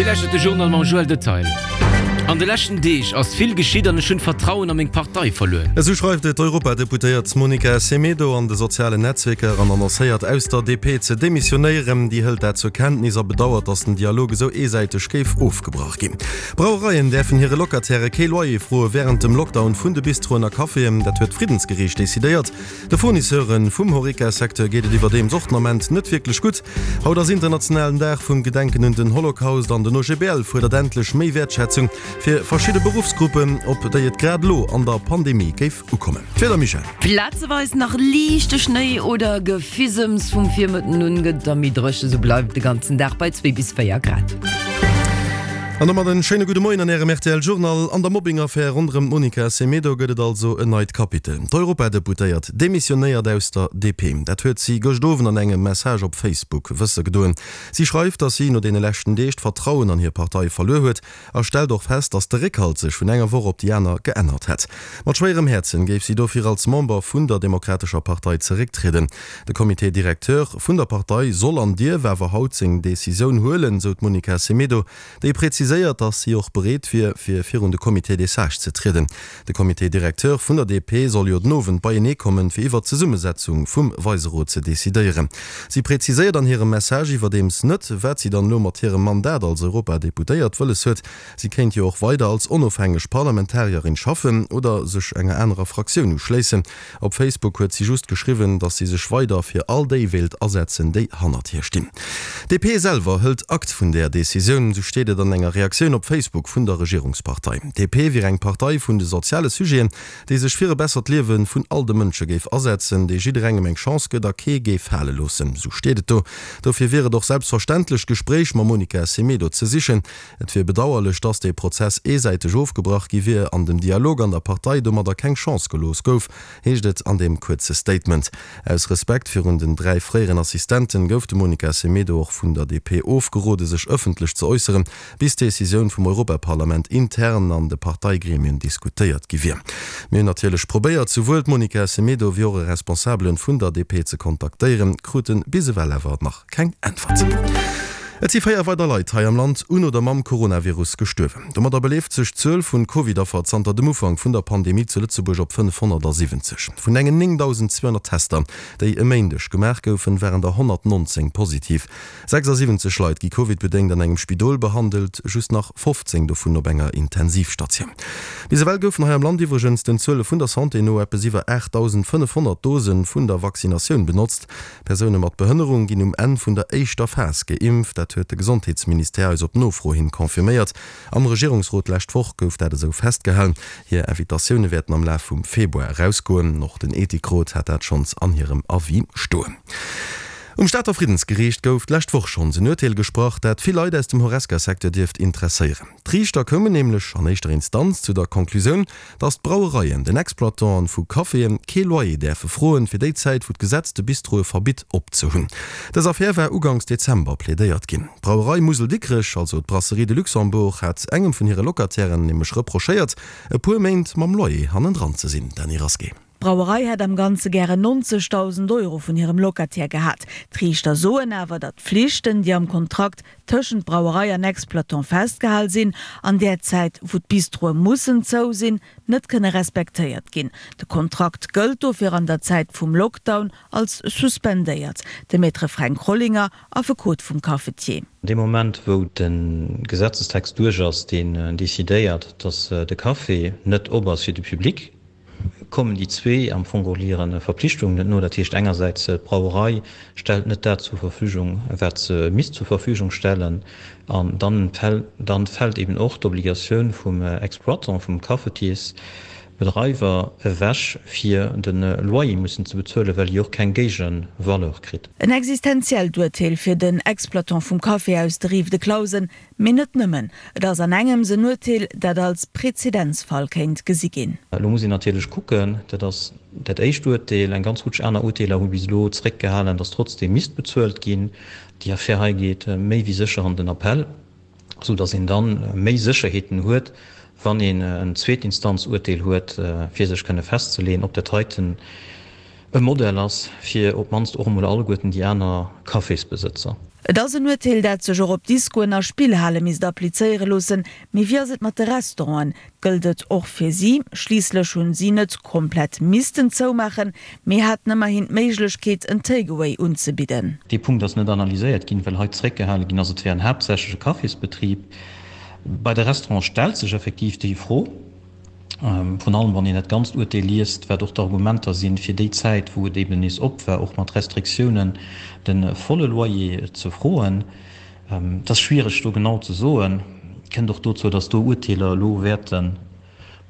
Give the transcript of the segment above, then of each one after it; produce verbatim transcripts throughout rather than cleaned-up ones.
Dir lauschtert de Journal mam Joël Detail. An de leschten Deeg ass vill geschitt an ech hunn d'Vertrauen a meng Partei verluer. Esou schreift et d'Europadeputéiert Monica Semedo an de sozialen Netzwierker an annoncéiert aus der D P ze demissionéieren. Déi hëlt dat zur Kenntnis a bedauert, datt den Dialog esou eesäiteg géif ofgebrach ginn. Brauereien däerfen hire Locatairë kee Loyer froe wärend dem Lockdown vun de Bistroen a Caféen. Dat huet d'Friddensgeriicht decidéiert. De Fournisseure vum Horeca-Secteur geet et iwwerdeems och den Ament net wierklech gutt. Haut ass internationalen Dag vum Gedenken un den Holocaust an den O G B L fuerdert endlech méi Wäertschätzung fir verschidde Beruffsgruppen, op déi et grad elo an der Pandemie géif ukommen. D'Wieder, Michèle? Plazeweis nach liichte Schnéi oder Gefisems, vum Virmëtten un gëtt da méi dréchen, sou bleift et de ganzen Dag bei zwee bis véier Grad. An domat en schéine gudde Moien an Ärem R T L Journal. An der Mobbing-Affär ronderëm d'Monica Semedo gëtt et also en neit Kapitel. D'Europadeputéiert demissionéiert aus der D P. Dat huet si gëscht Owend an engem Message op Facebook wësse gedoen. Si schreift, datt si no deene leschten Deeg d'Vertrauen an hir Partei verluer huet a stellt och fest, datt de Réckhalt sech vun enger Woch op déi aner geännert hätt. Mat schwéierem Häerzen géif si dofir als Member vun der Demokratescher Partei zerécktrieden. De Comité directeur vun der Partei soll an dierf awer haut seng Decisioun huelen, sou d'Monica Semedo, déi präziséiert, datt si och bereet wier, fir virun de Comité des sages ze trieden. De Comité directeur vun der D P soll jo den Owend beienee kommen, fir iwwer d'Zesummesetzung vum Weiserot ze decidéieren. Si präziséiert an hirem Message iwwerdeems net, wat si dann elo mat hirem Mandat als Europadeputéiert wëlles huet. Si kéint jo och weider als onofhängeg Parlamentarierin schaffen oder sech enger anerer Fraktioun uschléissen. Op Facebook huet si just geschriwwen, datt si sech weider fir all déi wéilt asetzen, déi hannert hir stinn. D P selwer hëlt Akt vun der Decisioun, sou steet et an enger Reaktioun op Facebook vun der Regierungspartei. D P wier eng Partei vun de soziale Sujeten, déi sech fir e bessert Liewe vun all de Mënsche géif asetzen, déi jidderengem eng Chance gëtt a kee géif fale loossen, sou steet et do. Dofir wier et och selbstverständlech, d'Gespréich mam Monica Semedo ze sichen. Et wier bedauerlech, datt dee Prozess eesäiteg ofgebrach gi wier an dem Dialog an der Partei domadder keng Chance gelooss gouf, heescht et an deem kuerze Statement. Aus Respekt virun den dräi fréieren Assistenten gouf dem Monica Semedo och vun der D P ofgerode sech ëffentlech ze äusseren, bis d'Decisioun vum Europaparlament intern an de Parteigremien diskutéiert gi wier. Mir hunn natierlech probéiert, souwuel d'Monica Semedo wéi och e Responsabele vun der D P ze kontaktéieren, krute bis ewell awer nach keng Äntwert. Et si véier weider Leit hei am Land un oder mam Coronavirus gestuerwen. Domadder beleeft sech d'Zuel vun Covid-Affer zanter dem Ufank vun der Pandemie zu Lëtzebuerg op fënnefhonnertsiwwenzeg. Vun engen néngdausendzweehonnert Tester, déi e Méindeg gemaach goufen, waren der honnertnonzéng positiv. Sechsasiwwenzeg Leit gi Covid-bedéngt an engem Spidol behandelt, just nach fofzéng dovun op enger Intensivstatioun. Bis ewell goufen hei am Land iwwregens den Zuele vun der Santé no eppes iwwer aachtdausendfënnefhonnert Dose vun der Vaccinatioun benotzt. Persoune mat Behënnerung ginn um Enn vun der éischter Phas geimpft, dat huet de Gesondheetsministère eis op Nofro hin confirméiert. Am Regierungsrot d'lescht Woch gouf dat esou festgehalen. Hir Invitatioune wäerten am Laf vum Februar erausgoen. Och den Ethikrot hat dat schonns an hirem Avis stoen. Um Stater Friddensgeriicht gouf d'lescht Woch schonns en Urteel gesprach, dat vill Leit aus dem Horesca-Secteur dierft interesséieren. D'Riichter koumen nämlech an éischter Instanz zu der Konklusioun, datt d'Brauereien den Exploitanten vu Caféen kee Loyer däerfe froen, fir déi Zäit, wou d'Gesetz de Bistroe verbitt opzehunn. Dës Affär war uganks Dezember plädéiert ginn. D'Brauerei Musel Dikrech, also d'Brasserie de Luxembourg, hat engem vun hire Locatairen nämlech reprochéiert, e puer Méint mam Loyer hannendran ze sinn. Dany Rasqué. D'Brauerei hätt am Ganze gären nonzegdausend Euro vun hirem Locataire gehat. D'Riichter soen awer, datt d'Flichten, déi am Kontrakt tëschent Brauerei an Exploitant festgehale sinn, an där Zäit, wou d'Bistroe mussen zou sinn, net kënne respektéiert ginn. De Kontrakt gëllt dofir an der Zäit vum Lockdown als suspendéiert. De Maître Fränk Rollinger, Affekot vum Cafetier. Dee Moment, wou de Gesetzestext duerch ass, deen decidéiert, datt de Café net op ass fir de Public, kommen déi zwee am Fong geholl hire Verpflichtungen net no. Dat heescht engersäits, d'Brauerei stellt net dat zur Verfügung, wat se misst zur Verfügung stellen, an dann dann fält eben och d'Obligatioun vum Exploitant, vum Cafetiersbedreiwer ewech, fir de Loyer mussen ze bezuelen, well hie och keng Géigevaleur kritt. En existenziellt Urteel fir den Exploitant vum Café aus der Rive de Clausen, mee net nëmmen. Et ass an engems en Urteel, dat als Prezedenzfall kéint gesi ginn. Elo muss een natierlech kucken, dat ass dat éischt Urteel, eng ganz Rutsch aner Urteeler hu bis elo zeréckgehalen, datt trotzdeem misst bezuelt ginn. Déi Affär hei geet méi wéi sécher an den Appell, sou datt een dann méi Sécherheeten huet, wann een en Zweetinstanzurteel huet, fir sech kënne festzeleeën, ob dat heiten e Modell ass fir op d'mannst och emol alleguerten déi aner Cafésbesëtzer. Et ass en Urteel, dat sech och op Diskoen a Spillhale misst applizéiere loossen. Mee wéi ass et mat de Restauranten? Gëllt et och fir si? Schliisslech hunn si net komplett missten zoumaachen, mee haten ëmmerhin d'Méiglechkeet, en Takeaway unzebidden. Dee Punkt ass net analyséiert ginn, well hei zeréckgehale ginn ass, et wär en haaptsächlech e Cafésbetrib. Bei de Restaurante stellt sech effektiv déi Fro, virun allem wann een dat ganzt Urteel liest, wat och d'Argumenter sinn, fir déi Zäit, wou et eben nees op war, och mat Restriktiounen, de volle Loyer ze froen. Et ass schwiereg do genau ze soen. Kënnt och dozou, datt do Urteeler elo wäerte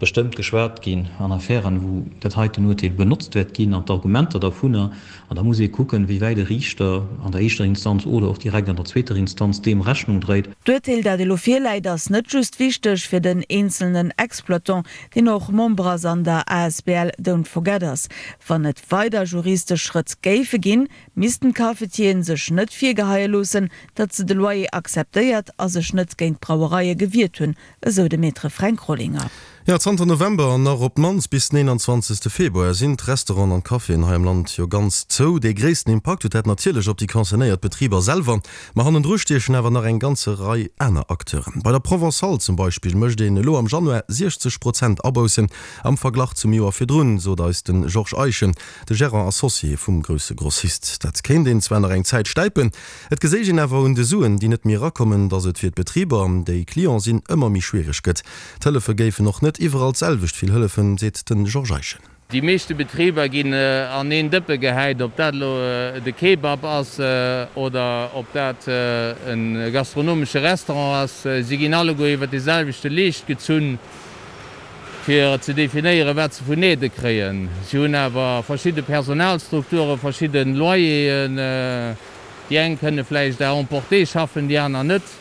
bestëmmt geschwat ginn an Affären, wou dat heiten Urteel benotzt wäert ginn an d'Argumenter dervunner. An da muss ee kucken, wéi wäit e Riichter an der éischter Instanz oder och direkt an der zweeter Instanz deem Rechnung dréit. D'Urteel, dat elo virläit, ass net just wichteg fir den eenzelnen Exploitant, deen och Member ass an der asbl Don't Forget Us. Wann et weider juristesch Schrëtt géife ginn, missten d'Cafetieren sech net virgeheie loossen, datt se de Loyer akzeptéiert a sech net géint d'Brauereie gewiert hunn, esou de Maître Fränk Rollinger. Jo, zanter November an nach op d'mannst bis den eenanzwanzegste Februar sinn d'Restauranten an d'Caféen hei am Land jo ganz zou. Dee gréissten Impakt huet dat natierlech op déi concernéiert Betriber selwer, ma hannendru stiechen awer nach eng ganze Rei aner Acteuren. Bei der Provençale zum Beispill mécht een elo am Januar siechzeg Prozent Aboussen am Verglach zum Joer virdrun, sot eis de Georges Eischen, de Gérant associé vum grousse Grossist. Dat kéint een zwar nach eng Zäit stäipen, et geséich een awer un de Suen, déi net méi erakommen, datt et fir d'Betriber, déi Client sinn, ëmmer méi schwiereg gëtt. D'Hëllefe géifen och net iwwerall d'selwecht vill hëllefen, seet de Georges Eischen. Déi meeschte Betriber ginn an een Dëppe gehäit, ob dat elo de Kebab ass oder ob dat e gastronomesche Restaurant ass. Si ginn alleguer iwwer dee selwechte Leescht gezunn, fir ze definéieren, wat se vun Aidë kréien. Si hunn awer verschidde Personalstrukturen, verschidde Loyeren. Déi eng kënne vläicht à emporter schaffen, déi aner net.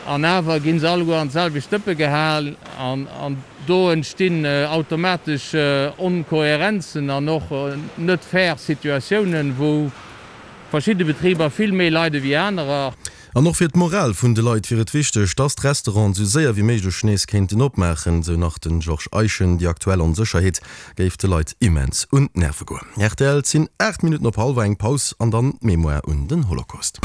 An awer gi se alleguer an d'selwecht Dëppe gehal. An do entstinn automatesch Onkohärenzen an och net fair Situatiounen, wou verschidde Betriber vill méi leide wéi anerer. An och fir d'Moral vun de Leit wier et wichteg, dass d'Restauranten sou séier wéi méiglech nees kéinten opmaachen, sou nach de Georges Eischen. Déi aktuell Onsécherheet géif de Leit immens un d'Nerve goen. Rtl, Et sinn aacht Minutten op hallwer eng, Paus an dann d'Mémoire un den Holocaust.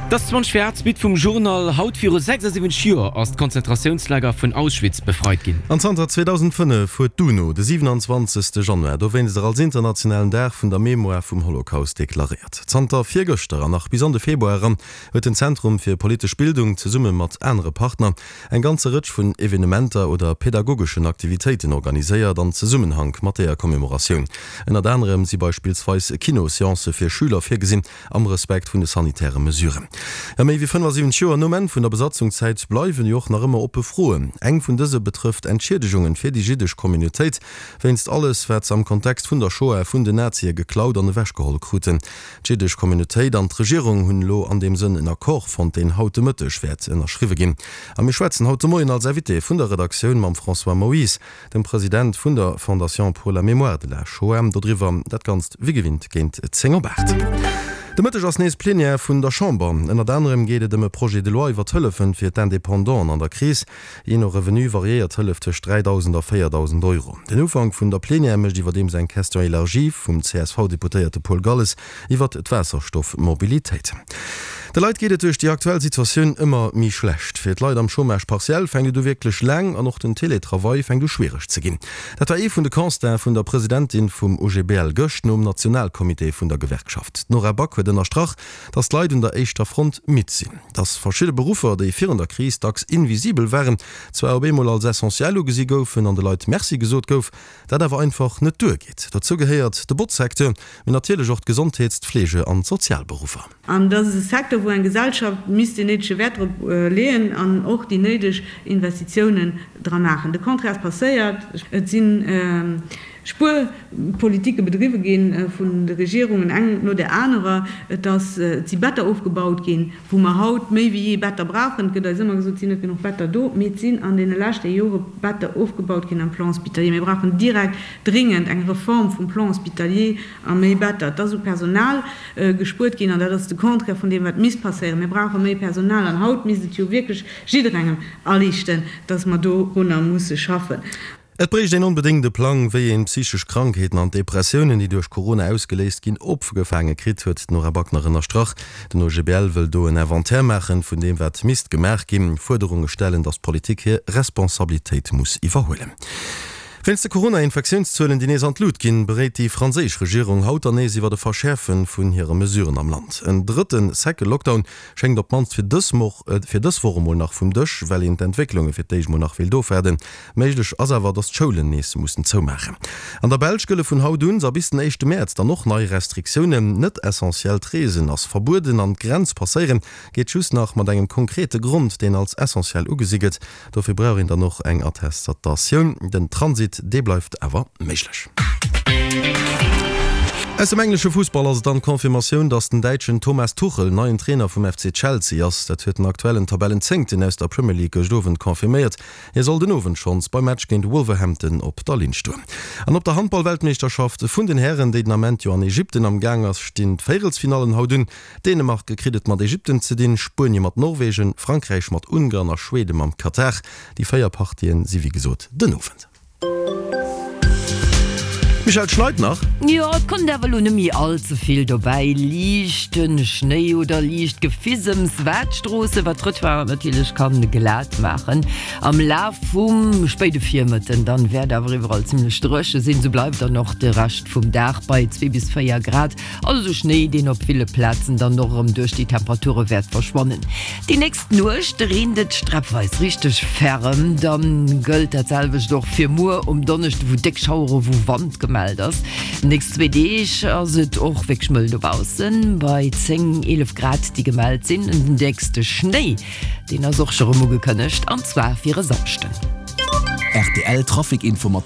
Et ass zwanzeg vir aacht, d'Suite vum Journal. Haut viru sechsasiwwenzeg Joer ass d'Konzentratiounslager vun Auschwitz befreit ginn. An zanter zweedausendfënnef huet d'UNO de siwenanzwanzegste Januar dowéinster als internationalen Dag vun der Mémoire vum Holocaust deklaréiert. Zanter virgëschter an nach bis an de Februar eran huet den Zentrum fir politesch Bildung zesumme mat anere Partner eng ganze Rëtsch vun Evenementer oder pedagogeschen Aktivitéiten organiséiert an Zesummenhank mat deeër Commemoratioun. Ënnert anerem si beispillsweis Kinoseancë fir Schüler virgesinn, am Respekt vun de sanitäre Mesuren. Jo, méi wéi fënnefasiwwenzeg Joer nom Enn vun der Besatzungszäit bleiwen jo och nach ëmmer oppe Froen. Eng vun dëse betrëfft Entschiedegungen fir déi jiddesch Communautéit wéinst alles, wat se am Kontext vun der Shoah vun den Nazie geklaut an ewechgeholl kruten. D'jiddesch Communautéit an d'Regierung hunn elo an deem Sënn en Accord fonnt, deen haut de Mëtteg wäert ënnerschriwwe ginn. A mir schwätzen haut de Moien als Invité vun der Redaktioun mam François Moyse, dem President vun der Fondation pour la mémoire de la Shoah, dodriwwer. Dat Ganzt wéi gewinnt géint zéng op aacht. De Mëtteg ass nees Plenière vun der Chamber. Ënnert anerem geet et ëm e Projet de loi iwwer d'Hëllefen fir d'Independanten an der Kris. Jee no Revenu variéiert d'Hëllef tëscht dräidausend a véierdausend Euro. Den Ufank vun der Plenière mécht iwwerdeems eng Question élargie vum C S V-Deputéierte Paul Galles iwwer d'Waasserstoffmobilitéit. De Leit geet et duerch déi aktuell Situatioun ëmmer méi schlecht. Fir d'Leit am Chômage partiel fänkt et u wierklech laang an och den Teletravail fänkt u schwiereg ze ginn. Dat war ee vun de Constaten vun der Presidentin vum O G B L gëscht nom Nationalcomité vun der Gewerkschaft. D'Nora Back huet ënnerstrach, datt d'Leit un der éischter Front midd sinn. Datt verschidde Beruffer, déi virun der Kris dacks invisibel waren, zwar op eemol als essentiell ugesi goufen an de Leit Merci gesot gouf, dat awer einfach net duergeet. Dozou gehéiert de Botzsecteur, mee natierlech och d'Gesondheets-, d'Fleege an d'Sozialberuffer. An dat ass e Secteur, wou eng Gesellschaft misst deen néidege Wäert drop leeën an och déi néideg Investitiounen dra maachen. De Contraire ass passéiert. Et si Spuerpolitike bedriwwe gi vun de Regierungen, eng no där anerer. Et ass, et si Better ofgebaut ginn, wou mer haut méi wéi jee Better brauchen. Et gëtt eis ëmmer gesot, et sinn net genuch Better do, mee et sinn an deene leschte Jore Better ofgebaut ginn am Plan hospitalier. Mir brauchen direkt dringend eng Reform vum Plan hospitalier a méi Better. Et ass u Personal gespuert ginn an dat ass de Contraire vun deem, wat misst passéieren. Mir brauche méi Personal an haut misst et jo wierklech jidderengem aliichten, dass mer dorunner musse schaffen. Et bréicht een onbedéngt e Plang, wéi een d'psychesch Krankheeten an d'Depressiounen, déi duerch Corona ausgeléist ginn, opgefaange kritt, huet d'Nora Back nach ënnerstrach. Den OGBL wëll do en Inventaire maachen, vun deem wat misst gemaach ginn, Fuerderunge stellen, datt d'Politik hir Responsabilitéit muss iwwerhuelen. Wéinst de Corona-Infektiounszuelen, déi nees an d'Lut ginn, beréit déi franséisch Regierung haut dann nees iwwer e Verschäerfe vun hire Mesuren am Land. En drëtte Second-Lockdown schéngt op d'mannst fir dës fir dës Woch emol nach vum Dësch, well een d'Entwécklunge fir d'éischt mol nach wéilt ofwaarden. Méiglech ass awer, datt d'Schoulen nees mussen zoumaachen. An der Belsch gëlle vun haut un a bis den éischte Mäerz dann och nei Restriktiounen. Net essentiellt Reesen ass verbueden an d'Grenz passéiere geet just nach mat engem konkrete Grond, deen als essentiell ugesi gëtt. Dofir brauch een dann och eng Attestatioun. Den Transit, dee bleift awer méiglech. Aus dem englesche Fussball ass et dann d'Confirmatioun, datt den Däitschen Thomas Tuchel neien Trainer vum F C Chelsea ass. Dat huet den aktuellen Tabellenzéngten aus der Premier League gëscht Owend confirméiert. Hie soll den Owend schonns beim Match géint Wolverhampton op der Linn stoen. An op der Handball-Weltmeeschterschaft vun den Hären, déi den Ament jo an Ägypten am Gaang ass, stinn d'Véierelsfinallen haut un. Dänemark kritt et mat Ägypten ze dinn, Spuenie mat Norwegen, Frankräich mat Ungarn a Schwede mam Katar. Déi véier Partien si wéi gesot den Owend. Michèle, et schneit nach? Jo, et kënnt awer elo net méi all ze vill dobäi. Liichte Schnéi oder liicht Gefisems, wat d'Stroosse, wat d'Trottoiren natierlech kann glat maachen. Am Laf vum spéide Virmëtten dann wäert awer iwwerall zimmlech dréche sinn. Sou bleift dann och de Rescht vum Dag bei zwee bis véier Grad. Also Schnéi, deen op ville Plazen dann och erëm duerch déi Temperature wäert verschwannen. Déi nächst Nuecht reent et sträppweis richteg ferrem. Dann gëllt dat selwecht och fir muer um Donneschde, wou déck Schauere, wou Wand gemellt ass. Nächst zwee Deeg ass et och wierklech mëll dobaussen, bei zéng, eelef Grad, déi gemellt sinn. Den déckste Schnéi, deen ass och scho rëm ugekënnegt, an zwar fir e Samschden. Rtl Trafic Info mat der.